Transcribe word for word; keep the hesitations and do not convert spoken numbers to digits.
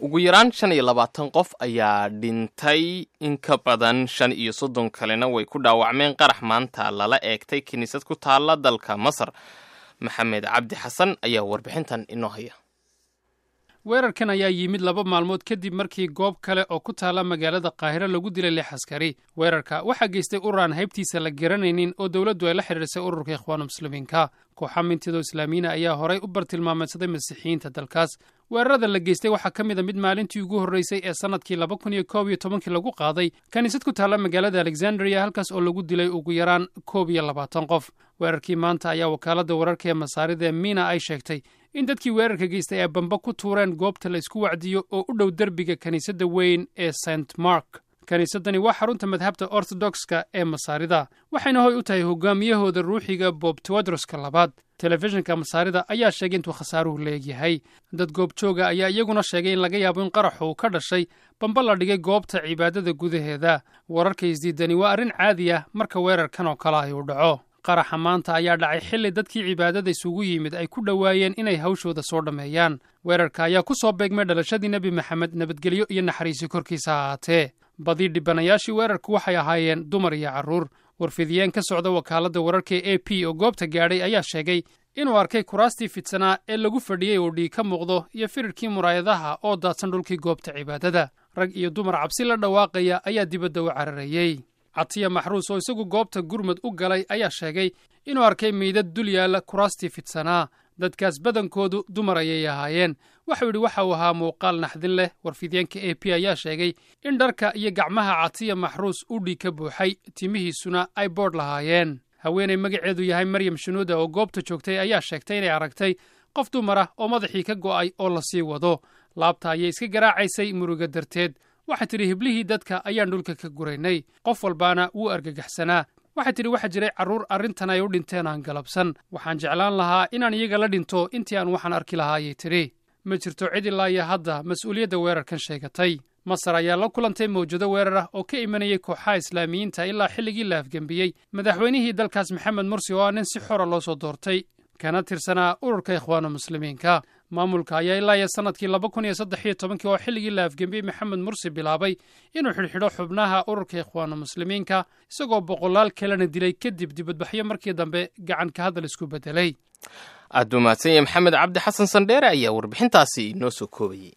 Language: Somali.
Ugu yaraan shan iyo labaatan qof ayaa dhintay, in ka badan shan iyo soddon kalena way ku dhaawacmeen qarax maanta lala eegtay kiniisad ku taalla dalka Masar. Maxamed Cabdi Xasan ayaa warbixintan inoo haya. Weerarkan ayaa yimid laba maalmood kadib markii goob kale oo ku taalla magaalada Qaahiro lagu dilay lix askari. Weerarka waxaa geystay urur aan haybtiisa la garanaynin oo dowladdu ay la xidhiirsay ururka Ikhwaanu Muslimiinka. Kooxa mintidoo Islaamiyiina ayaa horay u bartilmaameedsaday Masiixiyiinta dalkaas. Weerarada la geystay waxaa ka mid a mid maalintii ugu horreysay ee sannadkii laba kun iyo koob iyo tobankii lagu qaaday kaniisad ku taalla magaalada Alexandria, halkaas oo lagu dilay ugu yaraan koob iyo labaatan qof. Weerarkii maanta ayaa wakaaladda wararka ee Masaarida ee Miina ay sheegtay in dadkii weerarka geystay ay bamba ku tuureen goobta la isku wacdiyo oo u dhow derbiga kiniisadda weyn ee Saint Mark. Kiniisaddani waa xarunta madhabta Ortodokska ee Masaarida, waxayna hoy u tahay hogaamiyahooda ruuxiga, Bob Tewodroska labaad. Telefishinka Masaarida ayaa sheegay intuu khasaaruhu leegyahay. Dad goobjooga ayaa iyaguna sheegay in laga yaabo in qaraxu uu ka dhashay bamba la dhigay goobta cibaadada gudaheeda. Wararka isdiidani waa arrin caadi ah marka weerarkan oo kale ay u dhaco. Qaraxa maanta ayaa dhacay xilli dadkii cibaadada isugu yimid ay ku dhowaayeen inay hawshooda soo dhammeeyaan. Weerarka ayaa ku soo beegmay dhalashadii Nebi Maxamed, nabadgelyo iyo naxariisi korkiisa ahaatee. Badii dhibanayaashii weerarku waxay ahaayeen dumar iyo carruur. Warfidiyeen ka socda wakaaladda wararka ee A P oo goobta gaadhay ayaa sheegay inuu arkay kuraastii fidsanaa ee lagu fadhiyey oo dhiig ka muuqdo iyo firirkii muraayadaha oo daadsan dhulkii goobta cibaadada. Rag iyo dumar cabsi la dhawaaqaya ayaa dibadda u cararayey. Catiya Maxruus oo isagu goobta gurmad u galay ayaa sheegay inuu arkay meydad dul yaalla kuraastii fidsanaa. Dadkaas badankoodu dumar ayay ahaayeen. Waxau yidhi waxa uu ahaa muuqaal naxdin leh. Warfidyaenka A P ayaa sheegay in dharka iyo gacmaha Catiya Maxruus u dhiig ka buuxay, timihiisuna ay boodh lahaayeen. Haweenay magaceedu yahay Maryam Shunuuda oo goobta joogtay ayaa sheegtay inay aragtay qof dumar ah oo madaxii ka go'ay oo lasii wado. Laabta ayay iska garaacaysay muruga darteed. Waxay tidhi hiblihii dadka ayaan dhulka ka guraynay, qof walbaana wuu argagaxsanaa. Waxay tidhi waxaa jiray carruur arrintan ay u dhinteen aan galabsan. Waxaan jeclaan lahaa inaan iyaga la dhinto intii aan waxaan arki lahaa, ayay tidhi. Ma jirto cid ilaa iyo hadda mas-uuliyadda weerarkan sheegatay. Masar ayaa la kulantay mawjado weerar ah oo ka imanayay kooxaha Islaamiyiinta ilaa xilligii la afgembiyey madaxweynihii dalkaas Maxamed Mursi, oo ah nin si xora loo soo doortay kana tirsanaa ururka Ikhwaanu Muslimiinka. Maamulka ayaa ilaa iyo sannadkii laba kun iyo saddex iyo tobankii, oo xilligii la afgembiyey Maxamed Mursi, bilaabay inuu xidhxidho xubnaha ururka Ikhwaanu Muslimiinka, isagoo boqolaal kalena dilay kadib dibadbaxyo markii dambe gacan ka hadal isku beddelay. Aad buu mahadsan yahay Maxamed Cabdi Xasan Sandheere ayaa warbixintaasi inoo soo koobayey.